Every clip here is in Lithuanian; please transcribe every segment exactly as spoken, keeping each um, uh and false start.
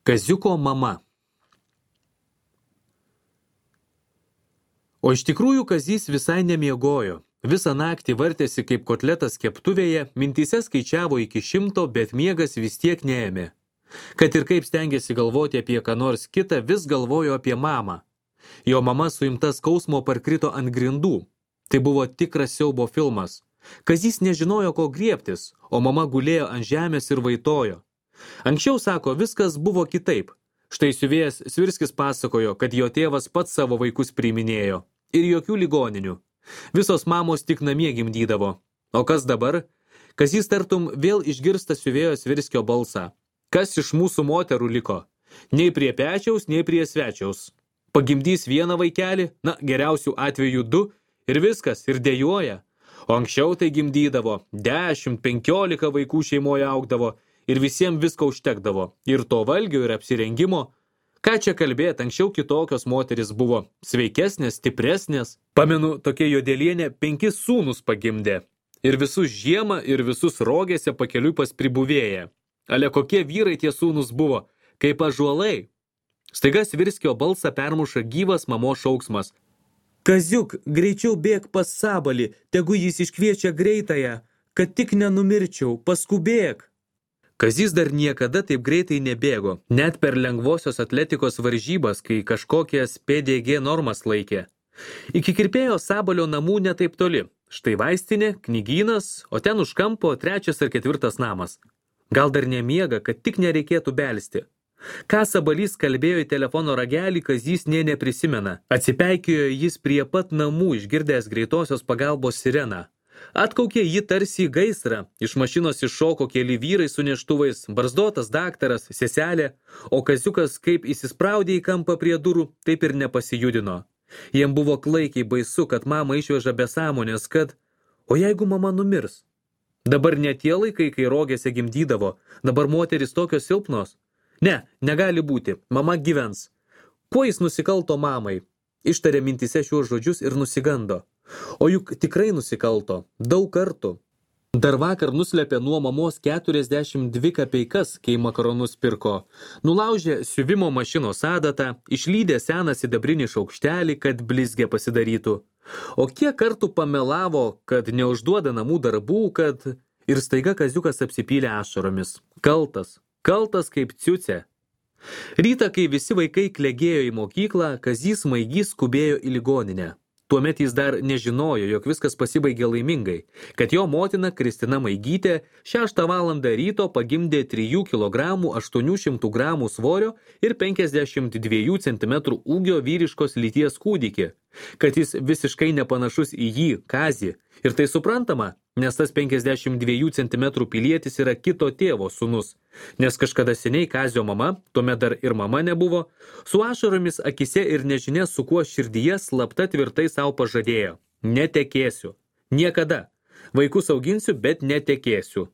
Kaziuko mama. O iš tikrųjų Kazys visai nemiegojo. Visą naktį vartėsi kaip kotletas keptuvėje, mintyse skaičiavo iki šimto, bet miegas vis tiek neėmė. Kad ir kaip stengėsi galvoti apie ką nors kitą, vis galvojo apie mamą. Jo mama suimta skausmo parkrito ant grindų. Tai buvo tikras siaubo filmas. Kazys nežinojo, ko griebtis, o mama gulėjo ant žemės ir vaitojo. Anksčiau, sako, viskas buvo kitaip. Štai siuvėjas Svirskis pasakojo, kad jo tėvas pats savo vaikus priiminėjo. Ir jokių ligoninių. Visos mamos tik namie gimdydavo. O kas dabar? Kazys tartum vėl išgirsta siuvėjo Svirskio balsą. Kas iš mūsų moterų liko? Nei prie pečiaus, nei prie svečiaus. Pagimdys vieną vaikelį, na, geriausių atvejų du, ir viskas, ir dejuoja. O anksčiau tai gimdydavo, dešimt, penkiolika vaikų šeimoje augdavo, ir visiems visko užtekdavo, ir to valgio, ir apsirengimo. Ką čia kalbėt, anksčiau kitokios moteris buvo, sveikesnės, stipresnės. Pamenu, tokia Jodelienė penkis sūnus pagimdė. Ir visus žiemą, ir visus rogėse pakeliui pas pribuvėję. Ale kokie vyrai tie sūnus buvo, kaip ąžuolai. Staiga Svirskio balsą permuša gyvas mamos šauksmas. Kaziuk, greičiau bėk pas Sabalį, tegu jis iškviečia greitąją, kad tik nenumirčiau, paskubėk. Kazys dar niekada taip greitai nebėgo, net per lengvosios atletikos varžybas, kai kažkokias P D G normas laikė. Iki kirpėjo Sabalio namų netaip toli. Štai vaistinė, knygynas, o ten už kampo trečias ar ketvirtas namas. Gal dar nemiega, kad tik nereikėtų belsti. Ką Sabalys kalbėjo į telefono ragelį, Kazys nė neprisimena. Atsipeikėjo jis prie pat namų, išgirdęs greitosios pagalbos sireną. Atkaukė jį tarsi į gaisrą, iš mašinos iššoko keli vyrai su neštuvais, barzdotas daktaras, seselė, o Kaziukas kaip įsispraudė į kampą prie durų, taip ir nepasijudino. Jiem buvo klaikiai baisu, kad mama išveža be sąmonės, kad, o jeigu mama numirs? Dabar ne tie laikai, kai rogėse gimdydavo, dabar moteris tokios silpnos. Ne, negali būti, mama gyvens. Kuo jis nusikalto mamai? Ištarė mintise šiuos žodžius ir nusigando. O juk tikrai nusikalto, daug kartų. Dar vakar nuslėpė nuo mamos keturiasdešimt dvi kapeikas, kai makaronus pirko. Nulaužė siuvimo mašinos adatą, išlydė seną sidabrinį šaukštelį, kad blizgė pasidarytų. O kiek kartų pamelavo, kad neužduoda namų darbų, kad... Ir staiga Kaziukas apsipylė ašaromis. Kaltas, kaltas kaip ciucė. Rytą, kai visi vaikai klegėjo į mokyklą, Kazys Maigys skubėjo į ligoninę. Tuomet jis dar nežinojo, jog viskas pasibaigė laimingai, kad jo motina Kristina Maigytė šeštą valandą ryto pagimdė trijų kilogramų aštuonių šimtų gramų svorio ir penkiasdešimt dviejų centimetrų ūgio vyriškos lyties kūdikį, kad jis visiškai nepanašus į jį, Kazį. Ir tai suprantama, nes tas penkiasdešimt dviejų centimetrų pilietis yra kito tėvo sūnus. Nes kažkada seniai Kazio mama, tuomet dar ir mama nebuvo, su ašaromis akise ir nežinia su kuo širdyje slapta tvirtai savo pažadėjo. Netekėsiu. Niekada. Vaikus auginsiu, bet netekėsiu.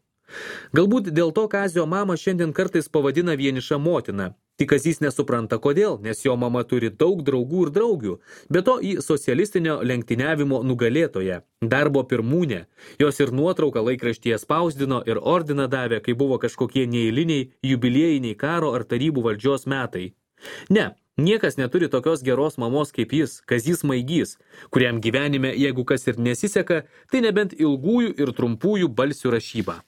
Galbūt dėl to Kazio mama šiandien kartais pavadina vieniša motina. Tik Kazys nesupranta kodėl, nes jo mama turi daug draugų ir draugių, be to į socialistinio lenktyniavimo nugalėtoją, darbo pirmūnę. Jos ir nuotrauką laikraštyje spausdino ir ordiną davė, kai buvo kažkokie neeiliniai jubiliejiniai karo ar tarybų valdžios metai. Ne, niekas neturi tokios geros mamos kaip jis, Kazys Maigys, kuriam gyvenime, jeigu kas ir nesiseka, tai nebent ilgųjų ir trumpųjų balsių rašyba.